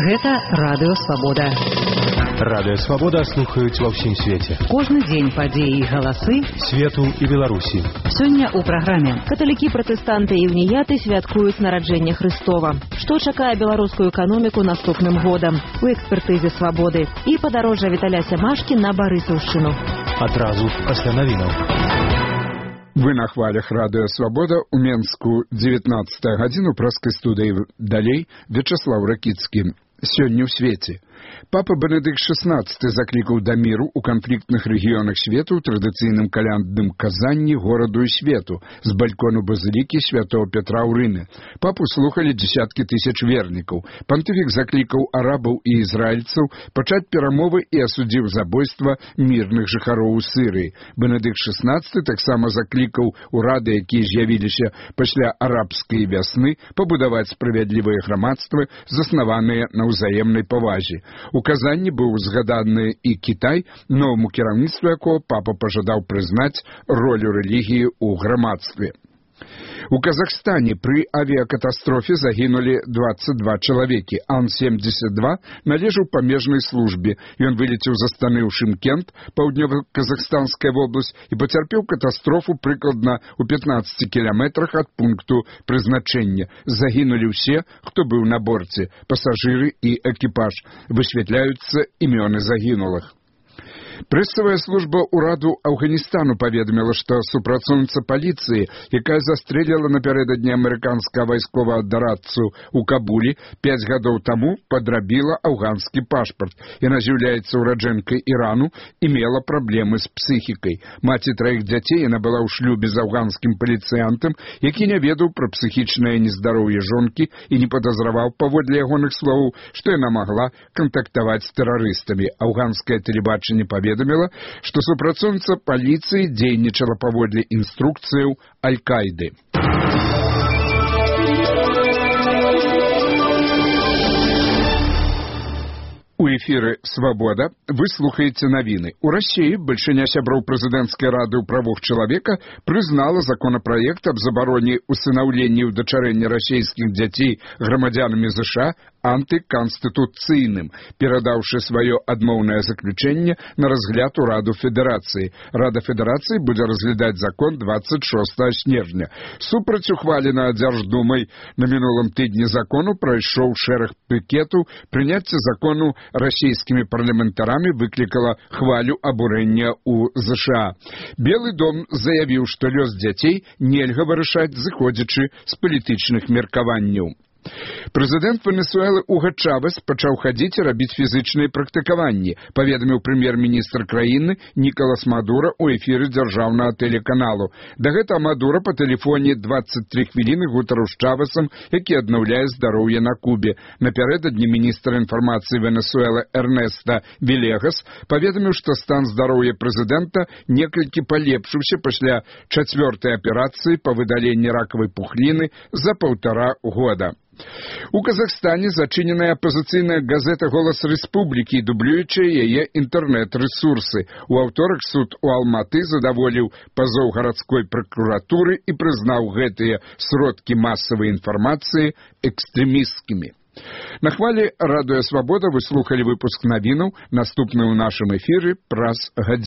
Гэта Радыё Свабода. Радыё Свабода слухаюць ва ўсім свеце. Кожны дзень падзеі і галасы свету і Беларусі. Сёння ў праграме. Каталікі, пратэстанты і уніяты святкуюць нараджэнне Хрыстова. Што чакае беларускую эканоміку наступным годам? У экспертызе Свабоды. І падарожжа Віталя Сямашкі на Барысаўшчыну. Адразу пасля навінаў. Вы на хвалях Радыё Свабода у Менску 19 гадзіну праскай студыі далей Вячаслаў Ракіцкі. Сёння ў свеце. Папа Бенедыкт XVI заклікаў да міру ў канфліктных рэгіёнах свету ў традыцыйным калядным казанні гораду і свету з балькону базылікі святого Петра ў Рыме. Папу слухалі дзесяткі тысяч вернікаў. Пантыфік заклікаў арабаў і ізраільцаў пачаць перамовы і асудзіў забойства мірных жыхароў у Сірыі. Бенедыкт XVI таксама заклікаў урады, якія з'явіліся пасля арабскай вясны, пабудаваць справядлівыя грамадствы, заснаваныя на ўзаемнай павазе. У казанні быў згаданы і Кітай, новаму кіраўніцтву якого папа пажадаў прызнаць ролю рэлігіі ў грамадстве. У Казахстане пры авіякатастрофе загінулі 22 чалавекі. Ан-72 належаў памежнай службе. Ён вылецеў з Астаны ў Шымкент, паўднёва-казахстанская вобласць, і пацярпеў катастрофу прыкладна ў 15 кіламетрах ад пункту прызначэння. Загінулі ўсе, хто быў на борце, пасажыры і экіпаж. Высвятляюцца імёны загінулых. Прэсавая служба ўраду Афганістану паведаміла, што супрацоўніца паліцыі, якая застрэліла напярэдадні амерыканскага вайсковага дарадцу ў Кабулі 5 гадоў таму, падрабіла афганскі пашпарт. Яна з'яўляецца ураджэнкай Ірану і мела праблемы з псіхікай. Маці 3 дзяцей, яна была ў шлюбе з афганскім паліцыянтам, які не ведаў пра псіхічнае нездароўе жонкі і не падазраваў, паводле ягоных словаў, што яна магла кантактаваць з тэрарыстамі. Афганскае тэлебачанне паведаміла, што супрацоўніца паліцыі дзейнічала паводле інструкцыяў Аль-Каіды. У эфіры «Свабода» вы слухаеце навіны. У Расіі бальшыня сяброў прэзідэнцкай рады ў правах чалавека прызнала законапраект аб забароне усынаўлення і ўдачарэння расійскіх дзяцей грамадзянамі ЗША антыканстытуцыйным, перадаўшы сваё адмоўнае заключэнне на разгляд у Раду Федэрацыі. Рада Федэрацыі будзе разглядаць закон 26 снежня. Супраць ухвалена Дзярждумай на мінулым тыдні закону прайшоў шэраг пікетаў. Прыняцце закону расійскімі парламентарамі выклікала хвалю абурэння ў ЗША. Белы дом заявіў, што лёс дзяцей нельга вырашаць, зыходзячы з палітычных меркаванняў. Прэзідэнт Венесуэлы Уга Чавес пачаў хадзіць і рабіць фізычныя практыкаванні, паведаміў прэм'ер-міністр краіны Нікалас Мадура ў эфіры дзяржаўнага тэлеканалу. Да гэтага Мадура па тэлефоне 23 хвіліны гутарыў з Чавесам, які аднаўляе здароўе на Кубе. Напярэдадні міністр інфармацыі Венесуэлы Эрнеста Вілегас паведаміў, што стан здароўя прэзідэнта некалькі палепшыўся пасля 4-й аперацыі па выдаленні ракавай пухліны за 1,5 года. У Казахстане зачыненая апазіцыйная газета «Голас Рэспублікі» і дублюючыя яе інтэрнэт-рэсурсы. У аўторак суд у Алматы задаволіў пазоў гарадской пракуратуры і прызнаў гэтыя сродкі масавай інфармацыі экстрэмісцкімі. На хвалі Радыё Свабода вы слухалі выпуск навінаў, наступны ў нашым эфіры праз гадзіну.